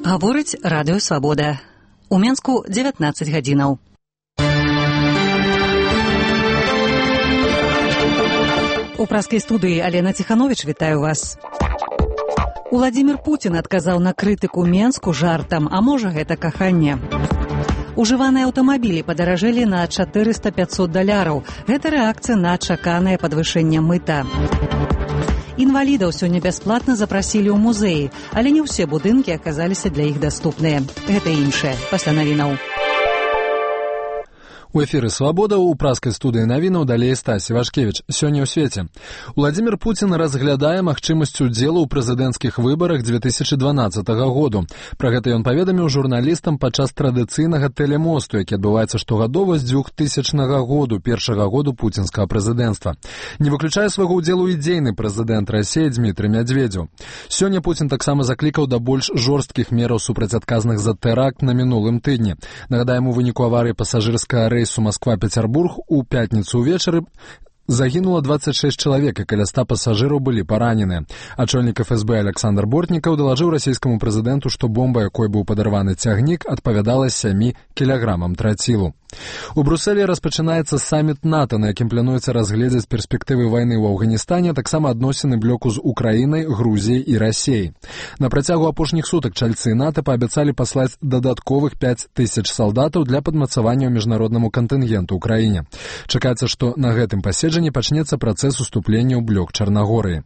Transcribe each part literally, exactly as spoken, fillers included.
Гаворыць радыё «Свабода». У Менску дзевятнаццаць гадзінаў. У праскай студыі Алена Ціхановіч вітаю вас. Уладзімір Пуцін адказаў на крытыку Менску жартам, а можа гэта каханне. Ужываныя аўтамабілі падаражэлі на чатырыста-пяцьсот даляраў. Гэта рэакцыя на чаканае падвышэнне мыта. Інвалідаў сёння бясплатна запрасілі ў музеі, але не ўсе будынкі аказаліся для іх даступныя. Гэта іншае. Пасля навінаў. У эфіры «Свабода» у праскай студыі навінаў далей Стасі Вашкевіч. Сёння ў свеце. Уладзімір Пуцін разглядае магчымасць удзелу ў прэзідэнцкіх выбарах дзве тысячы дванаццатага году. Пра гэта ён паведаміў журналістам падчас традыцыйнага тэлемосту, які адбываецца штогадова з двухтысячнага году, першага году пуцінскага прэзідэнцтва. Не выключае свайго ўдзелу ідзейны прэзідэнт Расіі Дзмітрый Мядзведзеў. Сёння Пуцін таксама заклікаў да больш жорсткіх мераў супраць адказных за тэракт на мінулым тыдні. Нагадаем, у выніку аварыі пасажырскага рэйсу Москва-Пецярбург у пятніцу ўвечары загінула дваццаць шэсць чалавек, і каля ста пасажыраў былі параненыя. Ачольнік эф эс бэ Александр Бортнікаў далажыў расійскаму прэзідэнту, што бомба, якой быў падарваны цягнік, адпавядала сямі кілаграмам трацілу. У Брусэлі распачынаецца саміт НАТО, на якім плануецца разгледзець перспектывы вайны ў Афганістане, таксама адносіны блоку з Украінай, Грузіяй і Расіяй. На працягу апошніх сутак чальцы НАТО паабяцалі паслаць дадатковых пяць тысяч салдатаў для падмацавання ў міжнароднаму кантынгенту ў краіне. Чакаецца, што на гэтым паседжанні пачнецца працэс уступлення ў блок Чарнагорыі.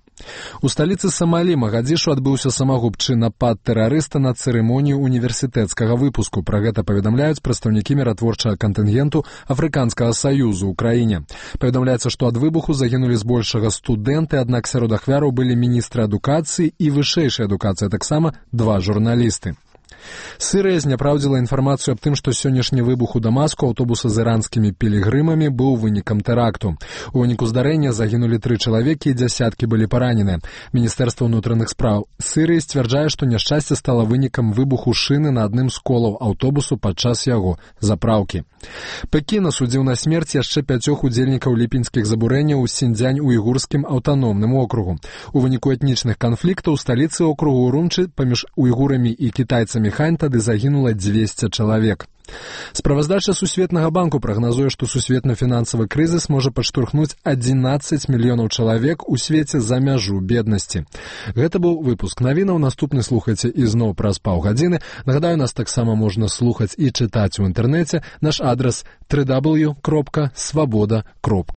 У сталіцы Самалі Магадзішу адбыўся самагубчы напад тэрарыста на цырымонію універсітэцкага выпуску. Пра гэта паведамляюць прадстаўнікі міратворчага кантынгенту Афрыканскага саюзу ў краіне. Паведамляецца, што ад выбуху загінулі збольшага студэнты, аднак сярод ахвяраў былі міністры адукацыі і вышэйшай адукацыі, таксама два журналісты. Сырыя зняпраўдзіла інфармацыю аб тым, што сённяшні выбух у Дамаску аўтобуса з іранскімі пілігрымамі быў вынікам тэракту. У выніку здарэння загінулі тры чалавекі і дзясяткі былі параненыя. Міністэрства ўнутраных спраў Сырыі сцвярджае, што няшчасце стала вынікам выбуху шыны на адным з колаў аўтобусу падчас яго запраўкі. Пекін асудзіў на смерць яшчэ пяцёх удзельнікаў ліпеньскіх забурэнняў у Сіньцзянь-уйгурскім аўтаномным округу. У выніку этнічных канфліктаў у сталіцы округу Урумчы паміж уйгурамі і кітайцамі Хань тады загінула дзвесце чалавек. Справаздача Сусветнага банку прагназуе, што сусветны фінансавы крызіс можа падштурхнуць адзінаццаць мільёнаў чалавек у свеце за мяжу беднасці. Гэта быў выпуск навінаў. Наступны слухайце ізноў праз паўгадзіны. Нагадаю, нас таксама можна слухаць і чытаць у інтэрнэце. Наш адрас дабл ю дабл ю дабл ю кропка свабода кропка